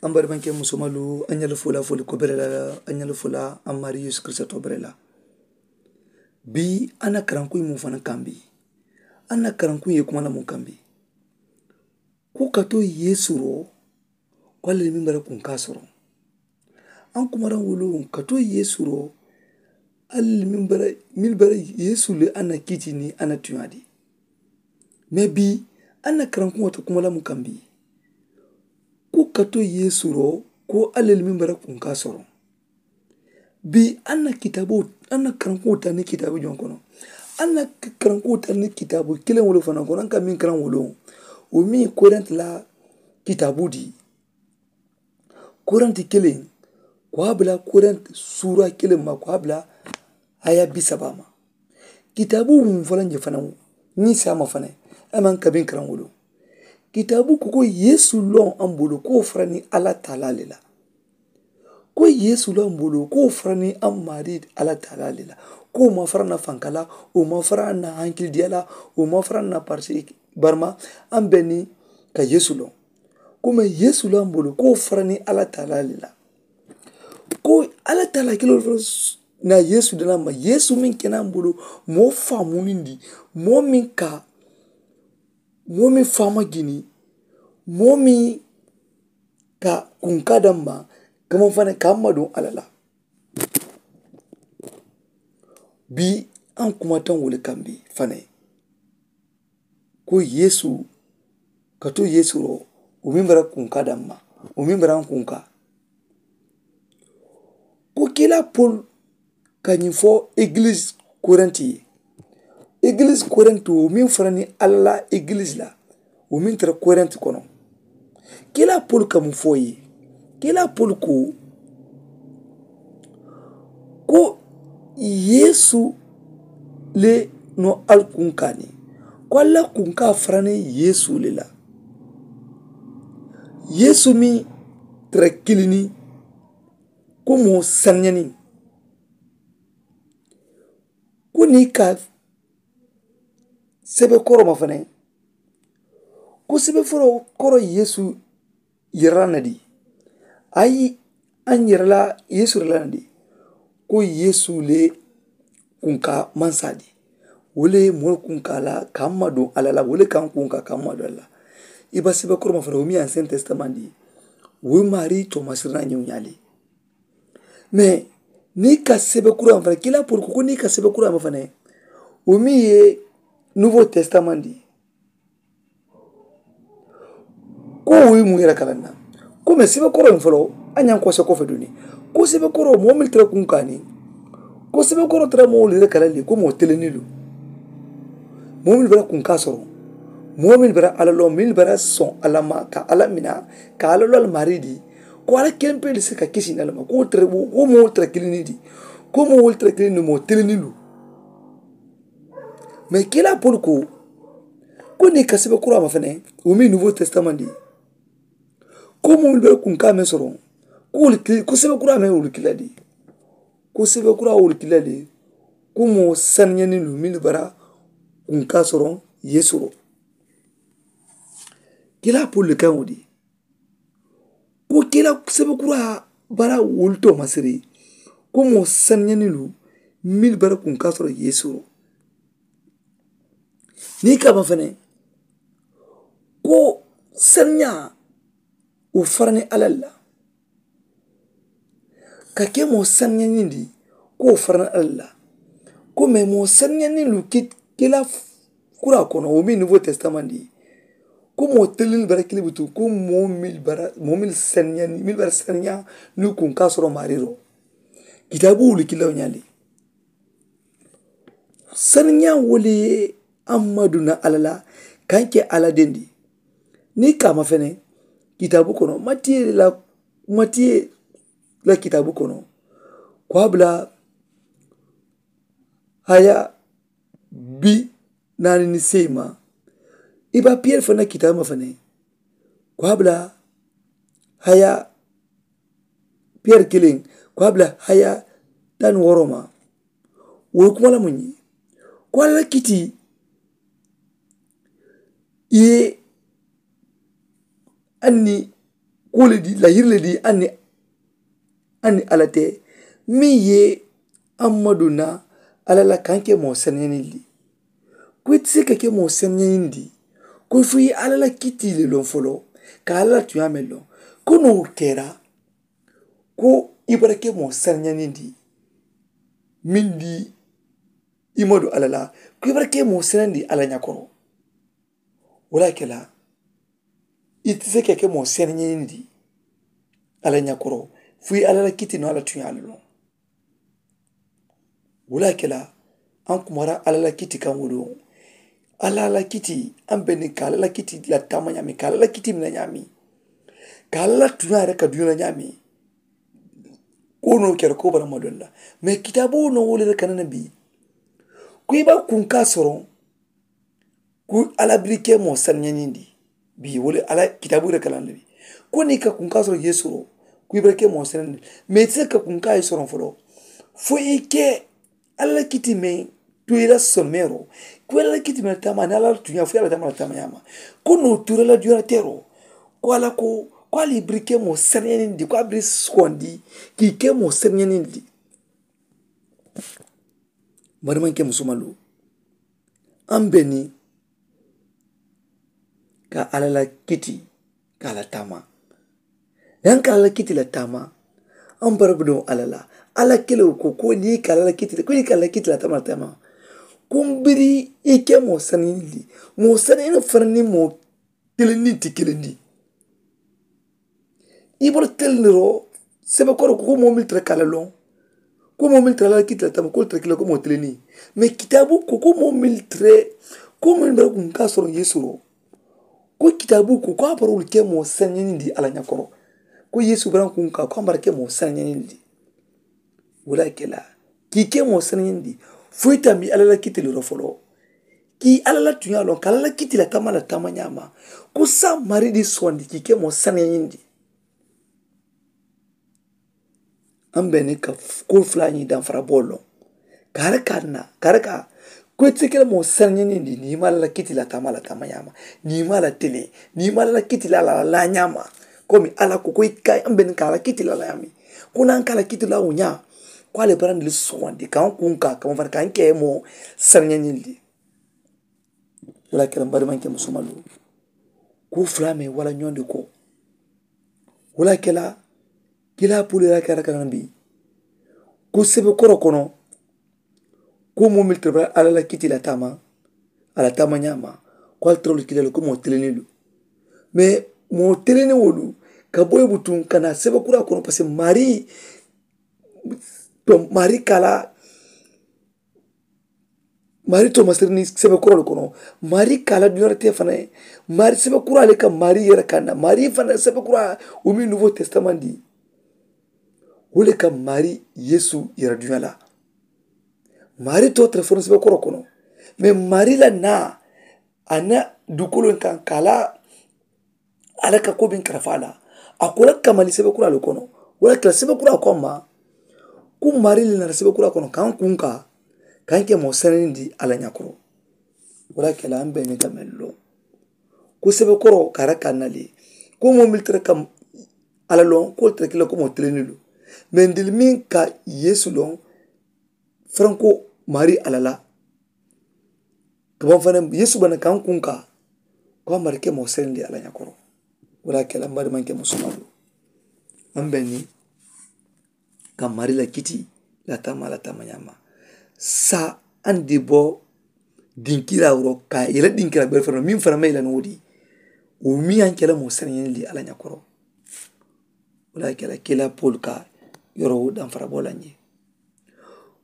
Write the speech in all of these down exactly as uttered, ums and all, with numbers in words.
An barimankɛ musomalu, an ɲali fola foli ko bere la. An ɲali fola an mari yesu kristo to bere la. Bi an na karankuyi mun fana kan bi? An na karankuyi ye kuma la mun kan bi? Ko kato yesu ro, ko ale min bara kun ka soro. An kuma ran wolo kato yesu ro, ale min bara, min bara yesu le an na kiti ni an na tuyadi. Mais bi an na karankuŋo to kuma la mu kaŋ bi? Ko kato yesu ro, ko alla le meŋ bara kunka soro. Bi an na kitabo, an na karankuŋo tara ni kitabo joŋ kono? An na karankuŋo tara ni kitabo kiliŋ wolo fanaŋ kono an ka meŋ karaŋ wolo, wo meŋ ye korenti la kitabo di. Korenti kiliŋ, ko a bula korenti suura kiliŋ ma ko a bula haya bisaba ma. Kitaabu mun fanaŋ je fanaŋ, niŋ saama fanaŋ, a maŋ kabiŋ karaŋ wolu. Kitaabu ko ko yesu loŋ a bulu ko wo fara niŋ alla taala le la. Ko yesu loŋ a bulu ko wo fara niŋ a maari alla taala le la. Ko wo maŋ fara na fanka la, wo maŋ fara na hankilidiya la, wo maŋ fara na parisi. Barima a be niŋ ka yesu loŋ. Ko meŋ yesu loŋ a bulu ko wo fara niŋ alla taala le la. Ko alla taala kiliŋ wo fanaŋ na yesu dana ma yesu meŋ kena a bulu, moo faamunindiŋ, moo meŋ ka moo meŋ faama jini, moo meŋ ka kunka daŋ ma, kamaŋ fanaŋ ka a maduŋ alla la. Bi an kumataŋ wo le kaŋ bi fanaŋ, ko yesu, kato yesu ro, wo meŋ bara kunka daŋ ma, wo meŋ bara n kunka. Ko kila pol ka ñiŋ fo egilisi korenti ye. Egilisi korenti wo meŋ fara niŋ alla la egilisi la, wo meŋ tara korenti kono. Kila pol ka muŋ fo ye? Kila pol ko, ko yesu le no ali kunka niŋ, ko alla kunka fara niŋ yesu le la. Yesu meŋ tara kiliŋ niŋ, ko moo saniyaani. Ko niŋ i ka sebe koro ma fanaŋ, ko sebe foro koro yesu yirala na di? Ayi, a yirala yesu yirala na di? Ko yesu le kunka mansa di. Wo le moolu kunka la ka maduŋ alla la, wo le ka n kunka ka maduŋ alla la. I ba sebe koro ma fanaŋ wo mi ye ancien testament di, wo maari toomasiri na ñiŋ ñaali. Mais niŋ i ka sebe kuraŋ fanaŋ kila polu ko ko niŋ i ka sebe kuraŋ fanaŋ, wo meŋ ye nouveau testament di. Ko wo ye muŋ yere kalaŋ na, ko mais sebe koro foloo a ñaŋ kose kofe duni. Ko sebe koro moo mili tara kuŋ kaani, ko sebe koro tara moo wolu yere kalaŋ le ko moo telenni lu. Moo mili bara kuŋ ka soro, moo mili bara alla loŋ mili bara soŋ alla ma ka alla mina, ka alla loŋ alla maari di. Ko alla kempe le si ka kisi nalama ko wo moo wolu tara kiliŋ ni di. Ko moo wolu tara kiliŋ ni moo telenni lu. Mais kila polu ko, ko niŋ i ka sebe kuraŋ ma fanaŋ, wo meŋ nouveau testament di, ko moo mili bara kuŋ ka meŋ soro, ko wolu kili ko sebe kuraŋ meŋ wolu kila di. Ko sebe kuraŋ wolu kila di. Ko moo saniyaani lu mili bara kuŋ ka soro yesu ro. Kila polu le kaŋ wo di. Ko kila sebe kura bara wolu to masiri, ko moo saniyaani lu mili bara kuŋ ka soro yesu ro. Niŋ i ka ma fanaŋ, ko saniya wo farani alla la. Ka ke moo saniyaani di, ko wo farani alla la. Ko mais moo saniyaani lu kila kura kono wo meŋ nouveau testament di. Ko moo telenni bara kiliŋ butu ko moo mili bara moo mili saniyaani mili bara saniya, ni kuŋ ka soro maari ro. Kitaabu wolu kila wo ñaali. Saniya wo le ye a maduna alla la, ka n ke alla dendi. Niŋ i ka ma fanaŋ, kitaabu kono matiye la, matiye la kitaabu kono, ko a bula haya bi naani ni seyi ma. I ba piyeri fanaŋ na kitaabu ma fanaŋ, ko a bula haya piyeri kiliŋ, ko a bula haya taŋ ni wooro ma. Wo ye kuma la muŋ ye? Ko alla la kiti i ye anni kuwo le di lahiri le di aŋ ni aŋ ni alla te meŋ ye aŋ ma duŋ na alla la kaŋ ke moo sanayaŋ niŋ li. Ko i ti se ka ke moo sanayaŋ niŋ di ko i fo i ye alla la kitii le loŋ foloo ka alla la tuyaa meŋ loŋ ko noo kera ko i bara ke moo sanayaŋ niŋ di meŋ di i ma duŋ alla la ko i bara ke moo sanayaŋ niŋ di alla ñakoro. Wo le ye a ke la i ti se ka ke moo seneñeñindi alla ñakoro fo i alla la kiti no alla tuñaalu loŋ. Wo le ye a ke la aŋ kumara alla la kiti kaŋ wo loŋ. Alla la kiti aŋ be niŋ ka alla la kiti la taama ñaami ka alla la kiti mina ñaami ka alla la tuñaa yere ka duña la ñaami. Ko no kere ko bara ma dolla mais kitaabu no wo le yere ka nana bi ko i ba kunka soroŋ. Ku alla biri ke moo sanañañindi bi wo le alla kitaabu yere ka laŋ le bi ko niŋ i ka kunkaa soroŋ yeesu ro ku i bara ke moo sanañañindi. Mais i ti se ka kunkaa ye soroŋ foloo fo i ke alla la kiti meŋ tu i la someeroo ku i alla la kiti meŋ taama aniŋ alla la tuñaa fo i alla taama la taama ñaama. Ko noo tu i la la duñaa teeroo ko alla ko ko alla ye biri ke moo sanañañindi ko a biri suwandi ka i ke moo sanañañindi. Bari maŋ ke musumalu aŋ be niŋ ka alla la kiti ka a la taama. Yaŋ ka alla la kiti la taama aŋ bara budoŋ alla la. Alla kelewo ko ko niŋ ka alla la kiti la ko niŋ ka alla la kiti la taama la taama ko mbiri i ke moo saniyindi moo saniyindi fanaŋ niŋ moo kelendi ti kelendi. I bolo telindiro sebe koro ko moo mili tara ka la loŋ ko moo mili tara la kitila tama ko tara kila ko moo telini. Mais kitaabu ko ko moo mili tara ko moo mili bara kun ka soro yeesu ro ko kitaabu ko ko a bara wolu ke moo saniyandi alla ñakoro ko yeesu bara kun ka ko a bara ke moo saniyandi. Wala kela ki ke moo saniyandi foyi tambi alla la kitili ro folo ki alla la tuña loŋ ka alla la kitila tama la tama ñama. Ko sa mari di sondi ki ke moo saniyandi. Aŋ be niŋ ka kuu fula ñiŋ danfara boo loŋ. Kaari ka na kaari ka ko i ti ke le moo sarañinindi niŋ i maŋ a la la kiti la taama la taama ñaama niŋ i maŋ a la tele niŋ i maŋ a la la kiti la la la ñaama. Komi alla ko ko i ka aŋ be niŋ ka a la kiti la la ñaami ko naŋ ka a la kiti la wo ñaa ko alla ye barandi le suwandi ka aŋ kuŋ ka a kama fanaŋ ka aŋ ke moo sarañinindi. Wala kela mbari maŋ ke musumalu kuu fula meŋ wala ñondi ko wala kela kila pulu yara kara kara mbi ko sebe koro kono ko moo mili tara alla la kiti la taama. Alla taama ñaama ko ali tara wolu kila le ko moo teleni lu mais moo teleni wolu ka boyi butuŋ ka na sebe kura kono parce que mari to mari kala mari to masiri ni sebe kura le kono mari kala duña te fana mari sebe kura le ka mari yere kana mari fana sebe kura o mi nouveau testament di wo le ka mari yeesu yere duña la. Mari to telefoni sebe kura kono mais mari la na a na dukolo kan kala alla ka ko biŋ karafa la a ko la kamali sebe kura le kono. Wala kela sebe kura ko ma ko mari le nara sebe kura kono kaŋ kuŋ ka kaŋ ke moo senenindi alla ñakoro. Wala kela aŋ be ni gamel loŋ ko sebe koro kara ka nali ko moo mili tara kam alla loŋ ko tara kila ko moo teleni lu mais ndili miŋ ka yeesu loŋ faranko mari alla la. Kabaŋ fanaŋ yeesu bana kaŋ kuŋ ka ko a mari ke moo senindi alla ñakoro. Wala kela mbari maŋ ke musumalu aŋ be ni ka mari la kiti la taama la taama ñaama. Sa aŋ di bo dinkira wuro ka yela dinkira bari fanaŋ miŋ fanaŋ ma yela ni wo di wo miŋ aŋ kela moo senindi alla ñakoro. Wala kela kela polu ka yoro wo danfara bo la ñe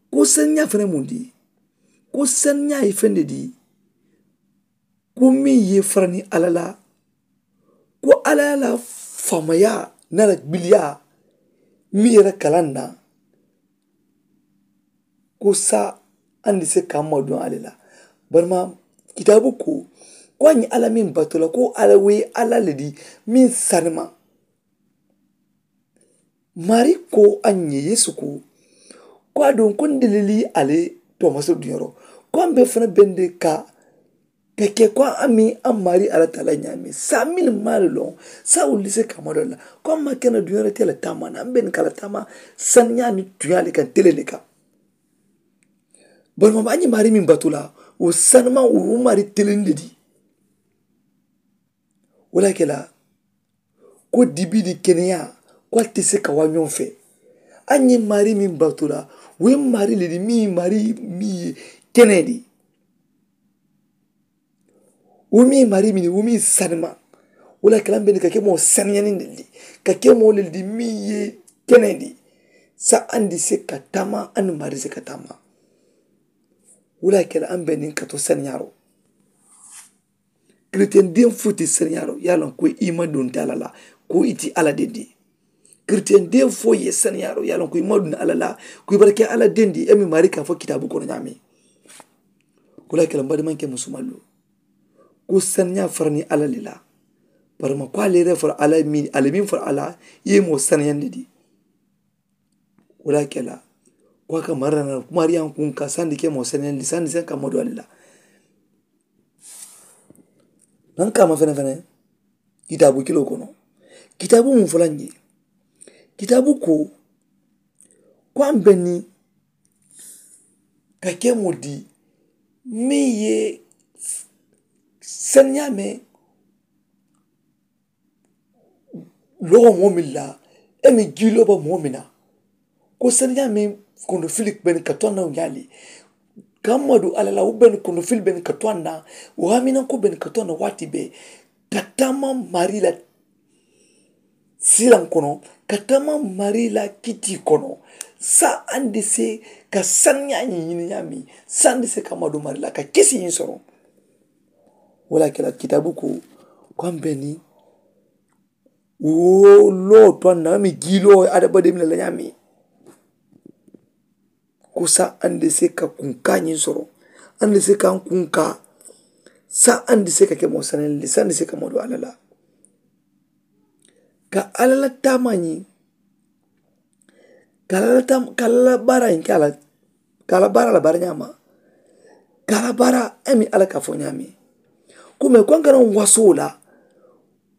ko saniya fanaŋ muŋ di ko saniya ye feŋ de di ko meŋ ye farani alla la ko alla la faamaya nara gbiliya meŋ yere kalaŋ na. Ko sa andi se ka maduŋ alla la barima kitaabu ko ko a ñiŋ alla meŋ batu la ko alla wo ye alla le di meŋ sanima. Mari ko a ñiŋ ye yeesu ko ko a duŋ ko n delili ali tomasi duñaro ko a be fana bende ka ka ke ko a mi a mari ala taala ñaami saa mili maari loŋ. Saa wuli se ka mari la ko a ma ke na duña la te la taama na a be ni ka la taama sani ñaami tuña le kan tele le kan. Bari ma ba ñi mari min batu la wo sani ma wo mari tele de di. Wo la ke la ko dibi di keneya ko a te se ka wa ñoŋ fe. A ñi mari min batu la wo mari le di mi mari mi ye kene di. Wo mi mari mini wo mi sanima. Wo la kela mbeni ka ke moo saniyani ndeli ka ke moo leli di mi ye kene di. Sa andi se ka tama andi mari se ka tama. Wo la kela ambeni ka to saniyaro. Kiristiyen den fo ti saniyaro yalon ko i ma dunta la la ko i ti ala dendi. Kiristiyen den fo ye saniyaro yalon ko i ma dunta ala la ko i barke ala dendi e mi mari ka fo kitabu kono ñami. Kula kela mbadi manke musumalu. Ko saniya farani ala lila. Barama ko ale re fara ala min ale min fara ala ye mo saniyandi di. Wala kela ko aka marana mariyan kun ka sandi ke mo saniyandi sandi sen ka modo alila. Nan kama fene fene kitabu kilo kono. Kitabu mun fulan ye kitabu ko ko an benni ka ke mo di min ye saniya me logo moo min la e mi gii loba moo min na. Ko saniya min kondo fili beni ka to na ñaali ka madu ala la wo beni kondo fili beni ka to na wo hamina ko beni ka to na waati be ka tama mari la silan kono ka tama mari la kiti kono. Sa andi se ka saniya ñi ñini ñami sa andi se ka madu mari la ka kisi ñi soro. Wala kela kitabu ko ko an beni wo loo to an na mi gii loo adabademi la la ñami. Ko sa andi se ka kunka ñin soro andi se ka an kunka sa andi se ka ke mo sanali sa andi se ka modo alala. Ka alala tama ñi ka alala tama ka alala bara ñi ka ala ka ala bara la bara ñama ka ala bara emi ala ka fo ñami. Ko me ko an kana waso la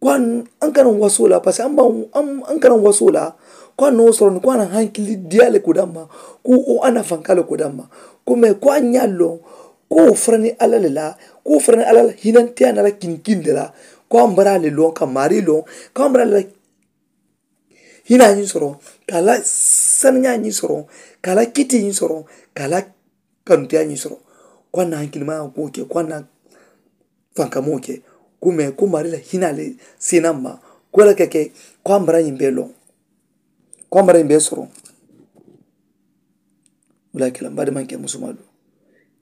ko an kana waso la parce que an ba an kana waso la ko an no soro ni ko an hankili diale ko damma ko o ana fankale ko damma. Ko me ko an ñallo ko farani ala le la ko farani ala hinante ana la kinkin de la ko an bara le lon ka mari lon ko an bara le la hina ñiŋ soro ka a la saniñaa ñiŋ soro ka a la kiti ñiŋ soro ka a la kanuteyaa ñiŋ soro. Ko a na hankilimayaa kuwo ke ko a na fankamoo ke. Kume ko mari la hinaa le seenaa ma ko la ke ke ko a mara ñiŋ bee loŋ ko a mara ñiŋ bee soro. Wala kela mbaadi maŋ ke musumaa do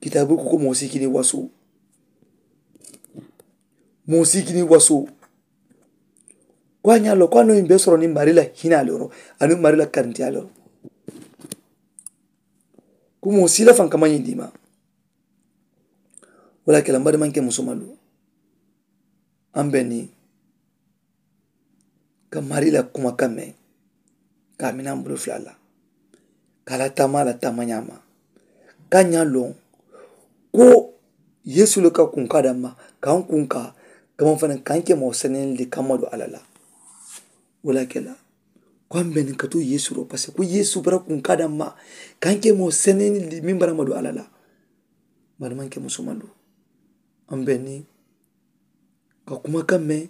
kitaabu ko ko moo sikini wasoo moo sikini wasoo. Ko a ñaa lo ko a no yimbe soro ni mari la hinaa lo ro anu mari la karintiyaa lo ro. Ko moo sila fan kama ñindi ma. Wala kela mbaadi maŋ ke musumaa do an be ni ka mari la kuma kamme ka a mina mbulu fula la ka a la tama la tama ñaama. Ka ñaa loŋ ko yeesu le ka kunka damma ka n kunka ka maŋ fanaŋ ka n ke moo senenli kamma do alla la. Wala kela ko an be ni ka tu yeesu ro parce que ko yeesu bara kunka damma ka n ke moo senenli min bara ma do alla la. Mbaadi maŋ ke musumaa do an be ni ka kuma kamme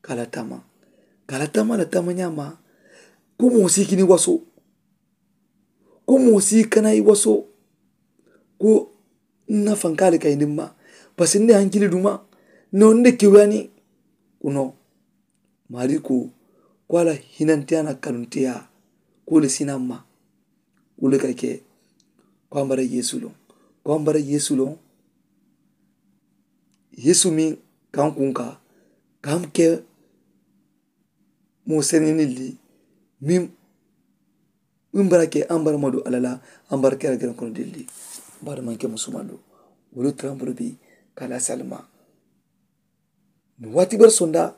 ka a la tama ka a la tama la tama ñaama. Ko moo si kini waso ko moo si kana i waso. Ko n na fanka le ka i ni ma parce que n ne hankili duma no n ne kewuyani. Kuno mari ko ko a la hinantiya na kanuntiya ko le sina ma. Ko le ka ke ko a mara yeesu loŋ ko a mara yeesu loŋ. Yeesu meŋ ka n kunka ka n ke moo senenilli meŋ meŋ bara ke an bara madu alla la. An bara kera geren kono dilli. Bara maŋ ke musumaa do wolu taraŋ bulu bi ka la salima. Ni waati bari sonda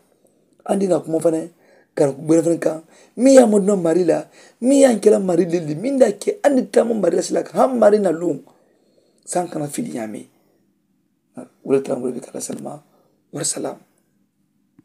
an di na kuma fanaŋ ka na ku bere fanaŋ kaŋ meŋ ye a madu na mari la meŋ ye a kela mari dilli meŋ da ke an di tama mari la sila kaŋ haŋ mari na luŋ. Saŋ kana fili ñaame Wo le tara mo le be ka la salima. Wari salaam.